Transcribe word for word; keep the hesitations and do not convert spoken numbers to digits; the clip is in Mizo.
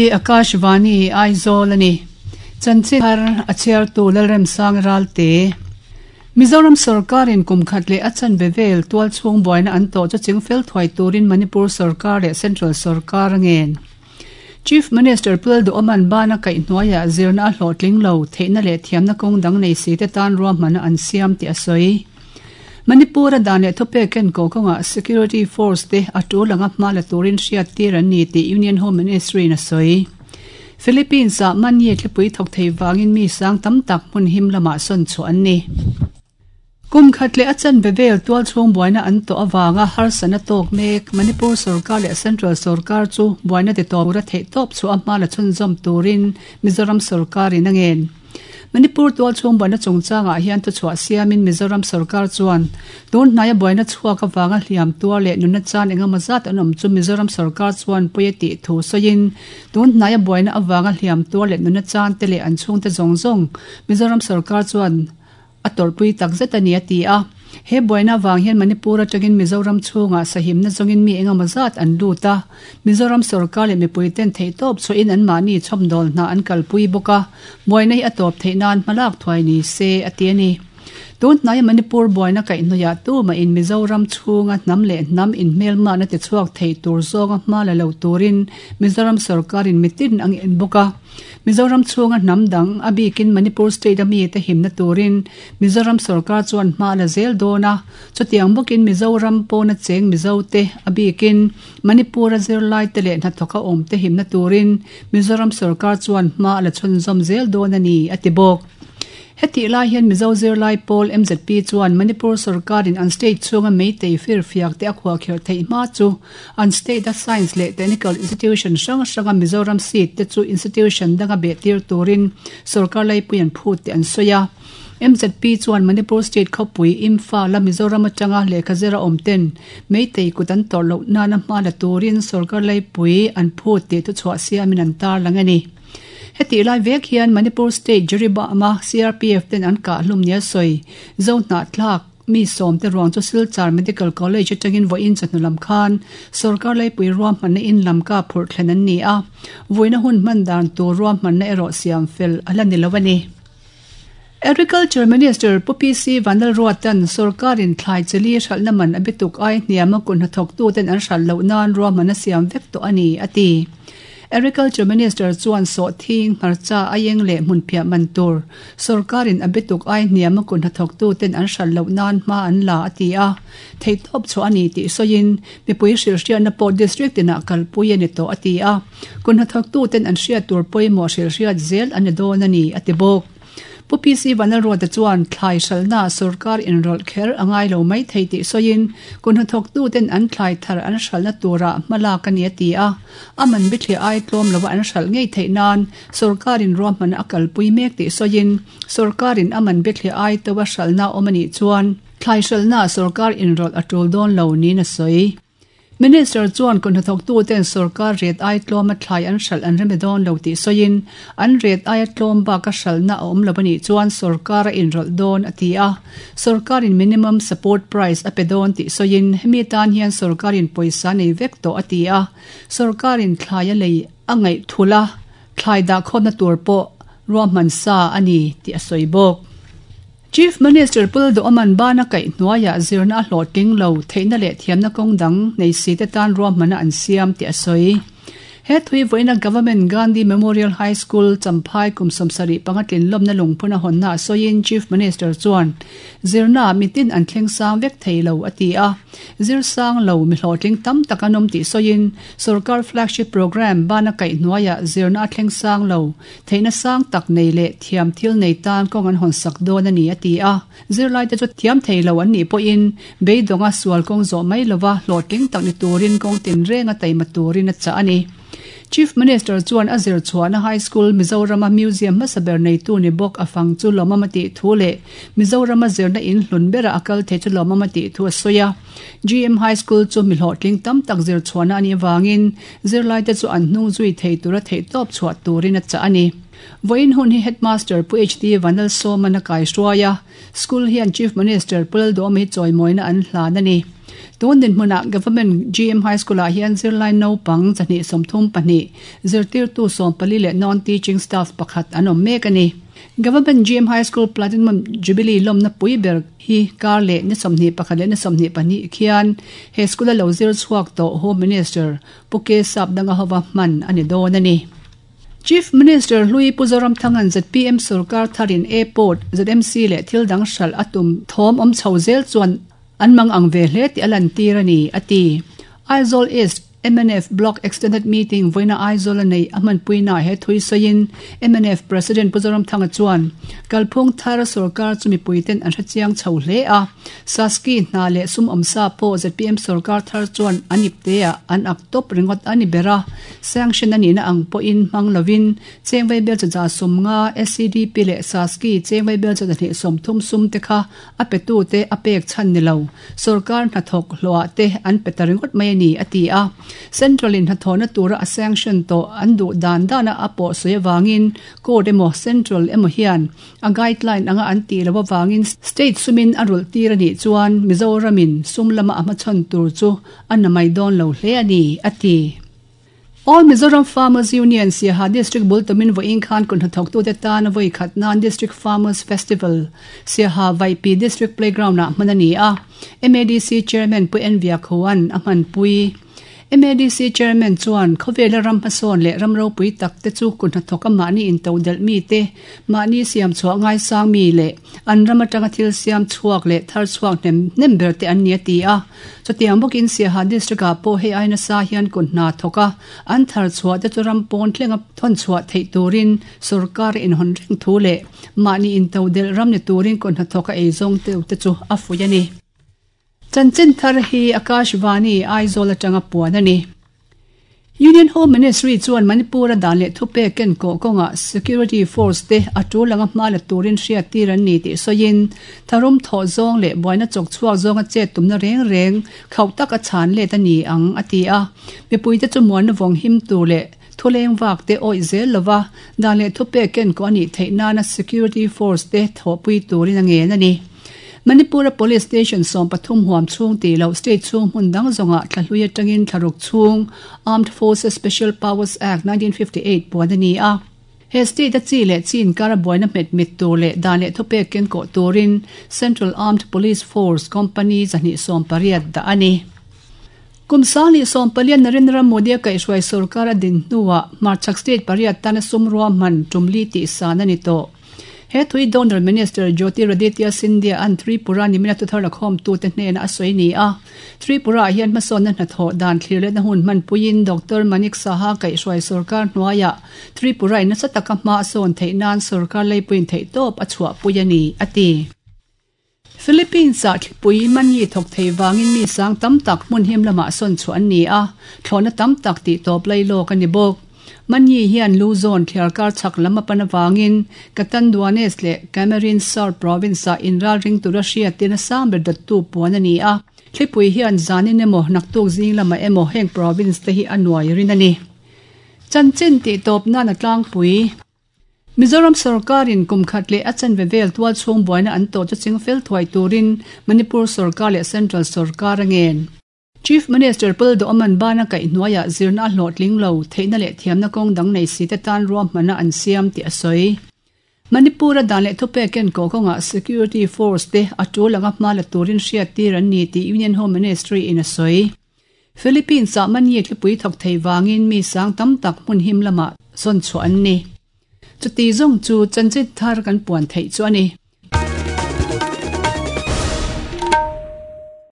Hei hi Akashvani Aizawl a ni. Chanchin thar a chhiartu Lalremsang Ralte. Mizoram sorkarin kum khat leh a chanve vel tual chhung buaina an tawh chu chingfel thuai turin Manipur sorkar leh Central sorkar a ngen. Chief Minister Pu Lalduhoma'n bana kaih hnuaiah zirna a hlawhtling lo theihna leh thiamna kawng dang nei si te tan ruahmanna an siam tih a sawi. Manipur-a dan leh thupek ken ko kawngah Security Force te a tul anga hma la turin hriat tir an ni tih Union Home Ministry in a sawi. Philippines-ah Manye thlipui thawk thei vangin mi sang tam tak hmun him lamah sawn chhuah an ni. Kum khat leh a chanve vel tual chhung buaina an tawh avanga harsatna tawk mek Manipur sorkar leh Central sorkar chu buaina ti tawp tura theih tawp chhuah a hma la chhunzawm turin Mizoram sorkarin a ngen. Manipur tual chhung buaina chungchangah hian thuchhuah siamin Mizoram sorkar chuan tun hnaia buaina chhuak avanga hliam tuar leh nunna chan engemaw zat an awm chu Mizoram sorkar chuan pawi a tih thu sawiin tun hnaia buaina avanga hliam tuar leh nunna chan te leh an chhungte zawng zawng Mizoram sorkar chuan a tawrhpui tak zet a ni a ti a. He buaina avang hian Manipur atangin Mizoram chhungah sahimna zawngin mi engemaw zat an lut a. Mizoram sorkar leh mipui ten theihtawp chhuahin anmahni chhawmdawl hna an kalpui bawk a, buaina hi a tawp theih nan hmalak thuai ni se a ti a ni. Tun hnaia Manipur buaina kaihhnawihah tumahin Mizoram chhunga hnam leh hnam inhmelmahna ti chhuak thei tur zawnga hma la lo turin Mizoram sorkarin mitin a ngen bawk a. Mizoram chhunga hnam dang a bikin Manipur state a mite himna turin Mizoram sorkar chuan hma la zel dawn a, chutiang bawkin Mizoram pawna cheng Mizote a bikin Manipur-a zirlaite leh hnathawka awmte himna turin Mizoram sorkar chuan hma la chhunzawm zel dawn a ni a ti bawk. Hetih lai hian Mizo zirlai pawl M Z P chuan Manipur sorkarin an state chhunga meitei firfiak te a khuahkhirh theih hma chu an state a science leh technical institution hrang hranga Mizoram seat te chu institution danga beh tir turin sorkar laipui an phut tih an sawi a. M Z P chuan Manipur state khawpui Imphal a Mizoram atanga lehkha zira awm ten meitei kut an tawrh loh nana hma la turin sorkar laipui an phut tih thuchhuah siamin an tarlang a ni. Hetih lai vek hian Manipur state Jiribam-a C R P F ten an kah hlum nia sawi zo hnahthlak mi sawm te ruang chu Silchar Medical College atangin vawiin chawhnu lam khan sorkar laipui ruahmanna in lam ka phurh thlen an ni a, vawiina hun hman dan tur ruahmanna erawh siam fel a la ni lo a ni. Agriculture Minister Pu P C Vanlalruatan sorkarin thlai chali hralhna man a bituk ai hniama kun hnathawktu ten an hralh loh nan ruahmanna siam vek tawh a ni a ti. Agriculture Minister chuan sawh thing hmarcha ayeng leh hmun phiah man tur sorkarin a bituk ai hniama kun hnathawktu ten an hralh loh nan hma an la a ti a, theihtawp chhuah a ni tih sawiin mipui hrilhhriatna pawh district tinah kalpui a ni tawh a ti a, kun hnathawktu ten an hriat tur pawimawh hrilhhriat zel a ni dawn a ni a ti bawk. Pu P C Vanlalruata chuan thlai hralhna sorkar inrawlh kher a ngai lo mai thei tih sawiin kun hnathawktu ten an thlai thar an hralhna turah hmalak a ni a ti a, a man bithliah ai tlawm lova an hralh ngei theih nan sorkarin ruahmanna a kalpui mek tih sawiin sorkarin a man bithliah ai to a hralhna awm a nih chuan thlai hralhna sorkar inrawlh a tul dawn lo niin a sawi. Minister chuan kun hnathawktu ten sorkar ret ai tlawm a thlai an hralh an rem dawn lo tih sawiin an ret ai a tlawm bak a hralhna a awm lo a nih chuan sorkar a inrawlh dawn a ti a, sorkarin minimum support price a pe dawn tih sawiin hemi tan hian sorkarin pawisa nei vek tawh a ti a, sorkarin thlai a lei a ngaih thula thlai dah khawmna tur pawh ruahman sa a ni tih a sawi bawk. Chief Minister Pu Lalduhoma'n bana kaih hnuaiah zirna a hlawhtling lo theihna leh thiamna kawng dang nei si te tan ruahmanna an siam tih a sawi. He thui vawiina Government Gandhi Memorial High School Champhai kum sawmsarih panga tlinlawmna lungphun a hawnna a sawiin Chief Minister chuan zirna mitin an thleng sang vek thei lo a ti a, zir sang lo mi hlawhtling tam tak an awm tih sawiin sorkar flagship program bana kaih hnuaiah zirna a thleng sang lo theihna sang tak nei leh thiam thil nei tan kawng an hawn sak dawn a ni a ti a, zirlai te chu thiam thei lo an nih pawhin beidawnga sual kawng zawh mai lova hlawhtling tak ni turin kawng tin renga taima turin a chah a ni. Chief Minister chuan a zir chhuahna High School Mizorama Museum hmasaber neitu ni bawk a fang chu lawmawm a tih thu leh Mizorama zirna in hlun berah a kal thei chu lawmawm a tih thu a sawi a. G M High School chu mi hlawhtling tam tak zir chhuahna a nih avangin zirlai te chu an hnung zui thei tura theihtawp chhuah turin a chah a ni. Vawiin hun hi Headmaster Pu H D Vanlalsawman a kai hruai a, school hian Chief Minister Pu Lalduhawma hi chawimawina an hlan a ni. Tun din hmuna Government G M High School ah hian zirlai naupang zahnih sawmthum pahnih zirtirtu sawmpali leh non-teaching staff pakhat an awm mek a ni. Government G M High School Platinum Jubilee lawmna pui ber hi kar leh ni sawmhnih pakhat leh ni sawmhnih pahnih khian he school a lo zir chhuak tawh Home Minister Pu K Sapdanga hova hman a ni dawn a ni. Chief Minister Hlui Pu Zoramthangan Z P M Sarkar tharin Airport Z M C leh thil dang hral atum thawm awm chho zel chuan an mang ang ve hle ti a lan tir a ni a ti. Aizawl East M N F Block Extended Meeting voina Aizawl a nei a hmanpuina he thui sawiin M N F President Pu Zoramthanga chuan kalphung thar sarkar chu mipuiten an hrechiang chho hle a. Saski hna leh sum awmsa pawh Z P M sarkar thar chuan an ipte ah an ak top ringawt a ni ber a. Sanction a nihna ang pawhin hmang lovin chengvei bel chaza sawm nga S C D P leh Saski chengvei bel chaza hnih sawmthum sum te kha a petu te a pek chhan ni lo. Sarkar hnathawk hluah te an pe ta ringawt mai a ni a ti a. Central in hnathawhna tura a sanction tawh an duh dan dana a pawh sawi awangin court emaw central emaw hian a guideline anga an tih lo awangin state sumin a rulh tir a nih chuan Mizoramin sum lama a hmachhawn tur chu a na mai dawn lo hle a ni a ti. All Mizoram Farmers Union Siaha District Bultumin Voin Khan kun hnathawktu te tan a vawi khat nan District Farmers Festival Siaha Vaipi District Playground ah hman a ni a. M A D C Chairman Pu N Viakhoan a hmanpui. M A D C Chairman chuan khawvela ram hmasawn leh ram ropui tak te chu kun hnathawk a mahni in to delh mi te mahni siam chhuah ngai sang mi leh an ram atanga thil siam chhuak leh thar chhuak hnem hnem ber te an ni a ti a. Chutiang bawkin Siaha District ah pawh hei aina sa hian kun hna thawk a an thar chhuah te chu ram pawn thlenga thawn chhuah theih turin sarkar in hawn reng thu leh mahni in to delh ram ni turin kun hnathawk a ei zawng te te chu a fuih a ni. Chanchin thar hi Akashvani Aizawl atanga puan a ni. Union Home Ministry chuan Manipur a dan leh thupe ken ko kawnga Security Force te a tul anga hma la turin hriat tir an ni tih sawiin tharum thawh zawng leh buaina chawk chhuak zawnga chet tumna reng reng khauh tak a chhan let a ni ang a ti a. Mipui te chu muanna vawng him tur leh thuleng vak te awih zel lova dan leh thupe ken ko ani theih nana Security Force te thawhpui turin a ngen a ni. Manipur Police Station sawm pathum huam chhung ti lo state chhung hmun dang zawnga thlahlui atangin thlaruk chhung Armed Forces Special Powers Act nineteen fifty-eight puan a ni a. He state a chi leh chin kara buaina hmet mit tur leh dan leh thupe ken ko turin Central Armed Police Force Company zahnih sawm pariat da a ni. Kumsang leh sawm palian Narendra Modi a kaihhruai sarkar a din hnuah Hmarchhak state pariat tana sum rua hman tumli tih san a ni tawh. He thui Donor Minister Jyotiraditya Scindia an Tripura nimina tuthar lakhawm tu te hnena a sawi ni a. Tripura hian hmasawnna hnathawh dan thlir leh na hun hmanpuiin Doctor Manik Saha kaihhruai sarkar hnuaiah Tripura in nasa taka hma a sawn theih nan sarkar leipuiin theih tawp a chhuahpui a ni a ti. Philippines ah thlipui manyi thawk thei wangin mi sang tam tak hmun him lamah sawn chu an ni a. Thlawhna tam tak tih tawp lai lawk a ni bawk. Manyi hian Luzon thliarkar chhak lam a pan awangin Catanduanes leh Camarines Sur province ah inral ring tura hriatin a sang ber dattu puan a ni a. Thlipui hian zanin emaw naktuk zing lamah emaw heng province te hi a nuai rin a ni. Chanchin tih tawp nan a tlangpui. Mizoram sarkarin kumkhat leh a chanve vel tual chhung buaina an tawh chu chingfel thuai turin Manipur sarkar leh Central sarkar a ngen. Chief Minister Pul Doman bana kaihhnuaiah zirna a hlawhtling lo theihna leh thiamna kawng dang nei si te tan ruahmana an siam tih a sawi. Manipur a dan leh thupe ken ko kawnga Security Force te a tul anga hma la turin hriat tir an ni tih Union Home Ministry in a sawi. Philippines ah manyi thlipui thawk thei wangin mi sang tam tak hmun him lamah sawn chhuah an ni. Chuti zawng chu chanchin thar kan puan theih chu a ni.